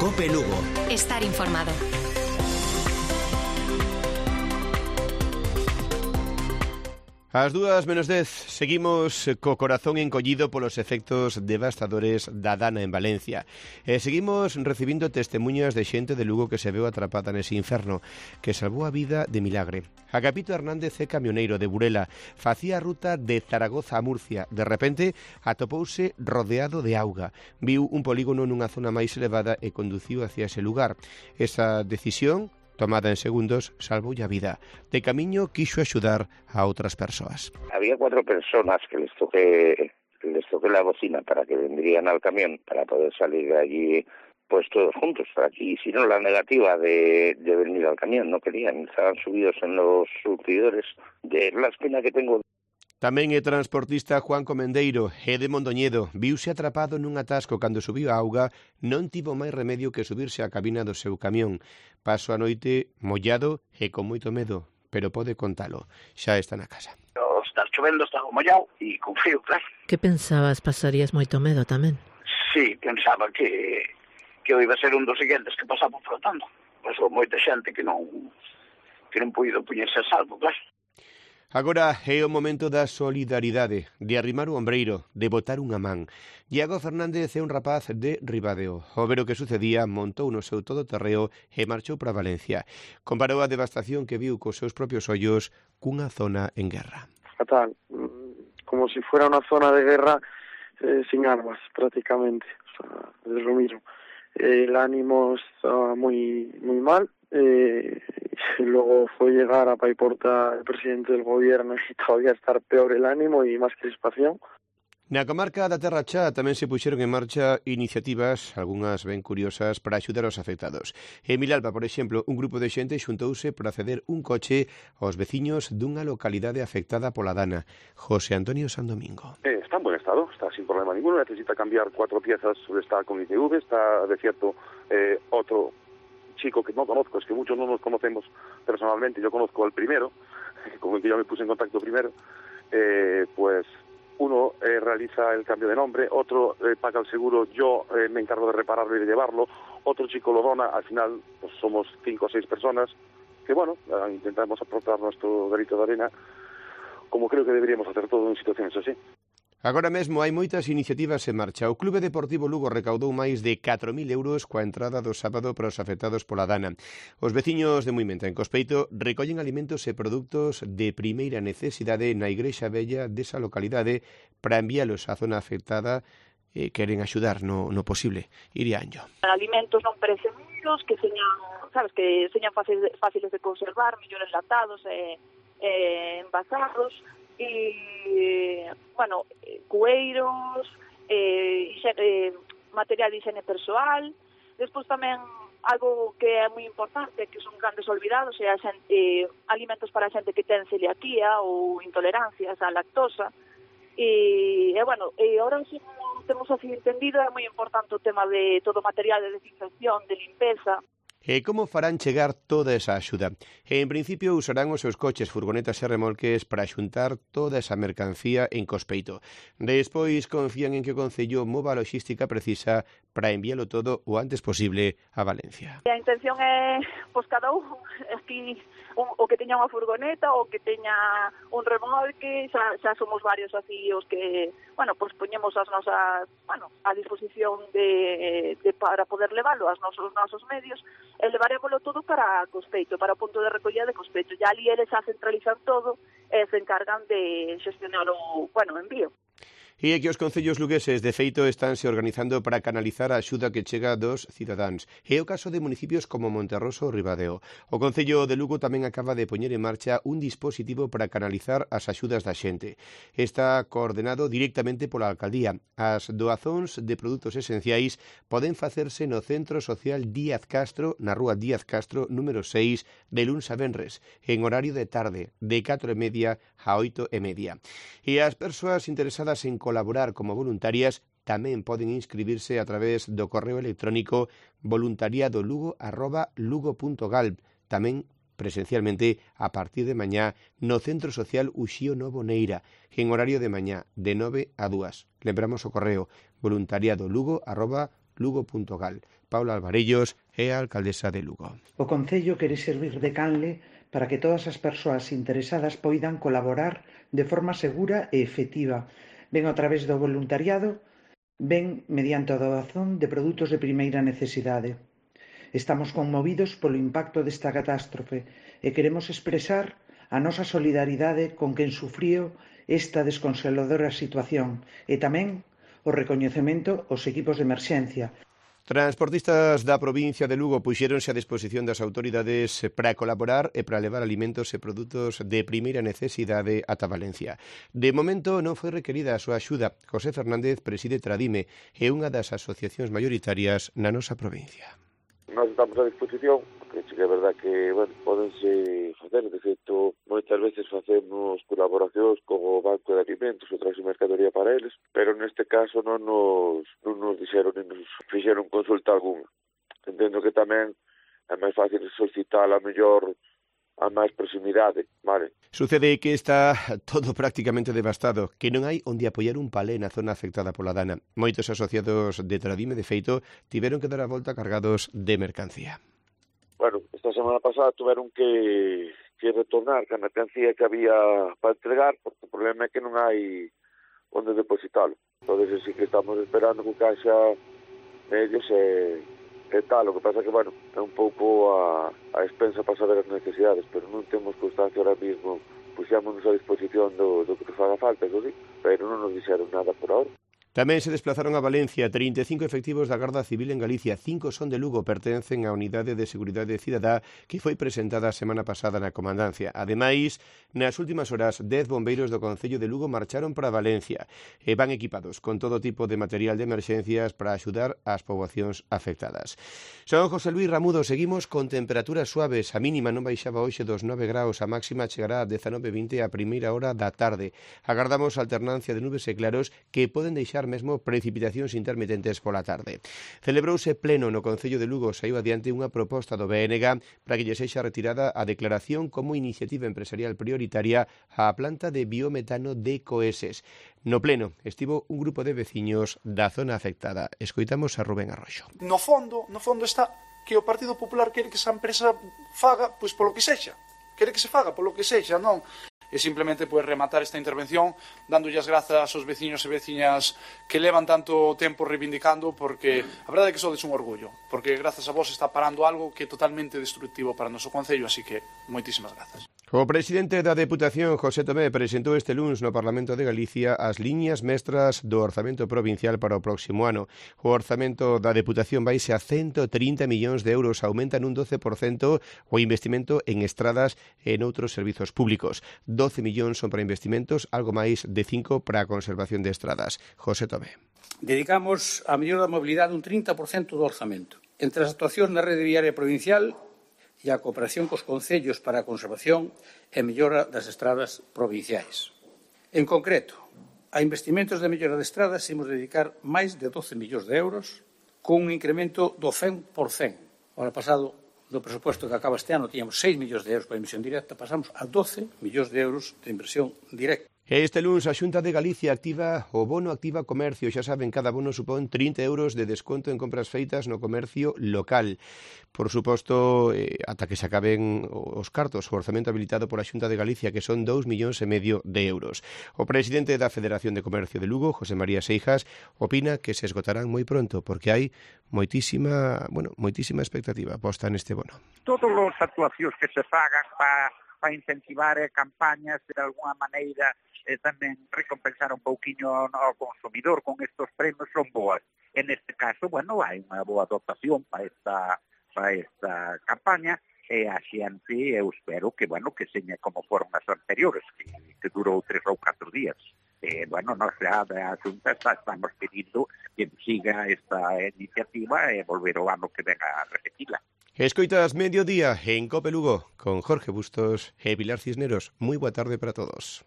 COPE Lugo. Estar informado. Ás 2:10, seguimos co corazón encollido polos efectos devastadores da dana en Valencia. Seguimos recibindo testemunhas de xente de Lugo que se veu atrapada nese inferno, que salvou a vida de milagre. Agapito Hernández é camioneiro de Burela, facía a ruta de Zaragoza a Murcia. De repente, atopouse rodeado de auga. Viu un polígono nunha zona máis elevada e conduciu hacia ese lugar. Esa decisión, tomada en segundos, salvoulle a vida. De camiño quixo axudar a outras persoas. Había 4 personas que les toqué la bocina para que vendrían al camión para poder salir de allí pues todos juntos. Aquí hicieron la negativa de venir al camión, no querían, estaban subidos en los surtidores de la espina que tengo. Tamén é transportista Juan Comendeiro, é de Mondoñedo. Viuse atrapado nun atasco cando subiu a auga, non tivo máis remedio que subirse á cabina do seu camión. Paso a noite mollado e con moito medo, pero pode contalo, xa está na casa. Está chovendo, estaba mollado e con frío, claro. Que pensabas, pasarías moito medo tamén? Sí, pensaba que iba a ser un dos seguintes que pasaba flotando. Pasou moita xente que non puido poñerse a salvo, claro. Agora é o momento da solidaridade, de arrimar o ombreiro, de botar unha man. Iago Fernández é un rapaz de Ribadeo. Ao ver o que sucedía, montou no seu todoterreo e marchou para Valencia. Comparou a devastación que viu cos seus propios ollos cunha zona en guerra. Fatal, como si fuera una zona de guerra sin armas, prácticamente. O sea, es lo mismo. El ánimo estaba muy mal. Luego fue llegar a Paiporta el presidente del gobierno y todavía estar peor el ánimo y más crispación. Na comarca da Terra Chá tamén se puxeron en marcha iniciativas, algunhas ben curiosas, para axudar aos afectados. En Milalba, por exemplo, un grupo de xente xuntouse para ceder un coche aos veciños dunha localidade afectada pola dana. José Antonio Sandomingo. Está en buen estado, está sin problema ninguno, necesita cambiar 4 piezas, está con ITV, está de cierto otro chico que no conozco, es que muchos no nos conocemos personalmente, yo conozco al primero, con el que yo me puse en contacto primero, pues uno realiza el cambio de nombre, otro paga el seguro, yo me encargo de repararlo y de llevarlo, otro chico lo dona, al final pues somos 5 o 6 personas que bueno, intentamos aportar nuestro granito de arena, como creo que deberíamos hacer todo en situaciones así. Agora mesmo hai moitas iniciativas en marcha. O Clube Deportivo Lugo recaudou máis de 4.000 euros coa entrada do sábado para os afectados pola dana. Os veciños de Muimenta, en Cospeito, recollen alimentos e produtos de primeira necesidade na Igrexa Vella desa localidade para enviálos á zona afectada e queren axudar no posible. Iria Anjo. Alimentos non perecederos, que señan fáciles de conservar, mellor enlatados e envasados, e, bueno, cueiros, material de higiene persoal. Despois tamén algo que é moi importante, que son grandes olvidados, é alimentos para a xente que ten celiaquía ou intolerancias á lactosa. E bueno, ahora sí temos así entendido, é moi importante o tema de todo o material de desinfección, de limpeza. E como farán chegar toda esa axuda? En principio usarán os seus coches, furgonetas e remolques para xuntar toda esa mercancía en Cospeito. Despois confían en que o Concello mova a logística precisa para enviálo todo o antes posible a Valencia. A intención é, pois cada un, aquí, o que teña unha furgoneta, o que teña un remolque, xa somos varios así os que, bueno, pois poñemos as nosas, bueno, a disposición de para poder leválo aos nosos medios, e levarémolo todo para Cospeito, para o punto de recollida de Cospeito. Ya ali eles xa centralizan todo e se encargan de xestionar o, bueno, envío. E é que os concellos lugueses, de feito, estánse organizando para canalizar a axuda que chega dos cidadáns. É o caso de municipios como Monterroso ou Ribadeo. O Concello de Lugo tamén acaba de poñer en marcha un dispositivo para canalizar as axudas da xente. Está coordenado directamente pola Alcaldía. As doazóns de produtos esenciais poden facerse no Centro Social Díaz Castro, na rúa Díaz Castro, número 6, de luns a venres, en horario de tarde, de 4:30 a 8:30. E as persoas interesadas en colaborar como voluntarias tamén poden inscribirse a través do correo electrónico voluntariadolugo@lugo.gal, tamén presencialmente a partir de mañá no Centro Social Uxío Novo Neira, en horario de mañá de 9 a 2. Lembramos o correo voluntariadolugo@lugo.gal. lugo.gal. Paula Alvarellos é a alcaldesa de Lugo. O Concello quere servir de canle para que todas as persoas interesadas poidan colaborar de forma segura e efectiva, ben a través do voluntariado, ben mediante a doazón de produtos de primeira necesidade. Estamos conmovidos polo impacto desta catástrofe e queremos expresar a nosa solidaridade con quen sufriu esta desconsoladora situación e tamén o recoñecemento aos equipos de emerxencia. Transportistas da provincia de Lugo puxéronse a disposición das autoridades para colaborar e para levar alimentos e produtos de primeira necesidade ata Valencia. De momento non foi requerida a súa axuda. José Fernández preside Tradime e unha das asociacións maioritarias na nosa provincia. Nós estamos a disposición, porque sí que é verdad que, podense facer, de feito, moitas veces facemos colaboracións con o Banco de Alimentos ou traxe mercadoría para eles, pero neste caso non nos dixeron ni nos fixeron consulta algunha. Entendo que tamén é máis fácil solicitar a mellor a máis proximidade, vale? Sucede que está todo prácticamente devastado, que non hai onde apoiar un palé na zona afectada pola dana. Moitos asociados de Tradime, de feito, tiveron que dar a volta cargados de mercancía. Esta semana pasada tuveron que retornar a mercancía que había para entregar, porque o problema é que non hai onde depositalo. Entón, sí que estamos esperando que caixa medios e tal. O que pasa que, é un pouco a expensa para saber as necesidades, pero non temos constancia ahora mismo. Puxámonos a disposición do que nos faga falta, eso sí, pero non nos dixeron nada por ahora. Tamén se desplazaron a Valencia 35 efectivos da Garda Civil en Galicia, 5 son de Lugo, pertencen á Unidade de Seguridade Cidadá que foi presentada a semana pasada na Comandancia. Ademais, nas últimas horas, 10 bombeiros do Concello de Lugo marcharon para Valencia e van equipados con todo tipo de material de emerxencias para axudar ás poboacións afectadas. Son José Luis Ramudo, seguimos con temperaturas suaves, a mínima non baixaba hoxe dos 9 graus, a máxima chegará a 19:20 a primeira hora da tarde. Agardamos alternancia de nubes e claros que poden deixar mesmo precipitacións intermitentes pola tarde. Celebrouse pleno no Concello de Lugo, saiu adiante unha proposta do BNG para que lle sexa retirada a declaración como iniciativa empresarial prioritaria á planta de biometano de Coeses. No pleno estivo un grupo de veciños da zona afectada. Escoitamos a Rubén Arroxo. No fondo está que o Partido Popular quere que esa empresa faga pois polo que sexa. Quere que se faga polo que sexa, non? E simplemente rematar esta intervención dándolle as grazas aos veciños e veciñas que levan tanto tempo reivindicando, porque a verdade é que sodes un orgullo, porque grazas a vos está parando algo que é totalmente destructivo para o noso concello, así que moitísimas grazas. O presidente da Deputación, José Tomé, presentou este luns no Parlamento de Galicia as liñas mestras do orzamento provincial para o próximo ano. O orzamento da Deputación vaise a 130 millóns de euros, aumentan un 12% o investimento en estradas e en outros servizos públicos. 12 millóns son para investimentos, algo máis de 5 para a conservación de estradas. José Tomé. Dedicamos a mellora da mobilidade un 30% do orzamento. Entre as actuacións na rede viaria provincial e a cooperación cos concellos para a conservación e mellora das estradas provinciais. En concreto, a investimentos de mellora de estradas imos dedicar máis de 12 millóns de euros con un incremento do 100%. O ano pasado, do presupuesto que acaba este ano, tiñamos 6 millóns de euros para inversión directa, pasamos a 12 millóns de euros de inversión directa. Este luns a Xunta de Galicia activa o bono Activa Comercio. Xa saben, cada bono supón 30 euros de desconto en compras feitas no comercio local. Por suposto, ata que se acaben os cartos, o orzamento habilitado pola Xunta de Galicia, que son 2,5 millóns de euros. O presidente da Federación de Comercio de Lugo, José María Seijas, opina que se esgotarán moi pronto, porque hai moitísima expectativa posta neste bono. Todas as actuacións que se fagan para incentivar campañas de alguna maneira tamén recompensar un pouquiño ao consumidor con estes premios son boas. En este caso, hai unha boa dotación para esta campaña e a xente, eu espero que seña como foron as anteriores, que durou 3 ou 4 días. Nós xa da Xunta estamos pedindo que siga esta iniciativa e volver o ano que venga a repetila. Escoitas Mediodía en Cope Lugo con Jorge Bustos e Pilar Cisneros. Moi boa tarde para todos.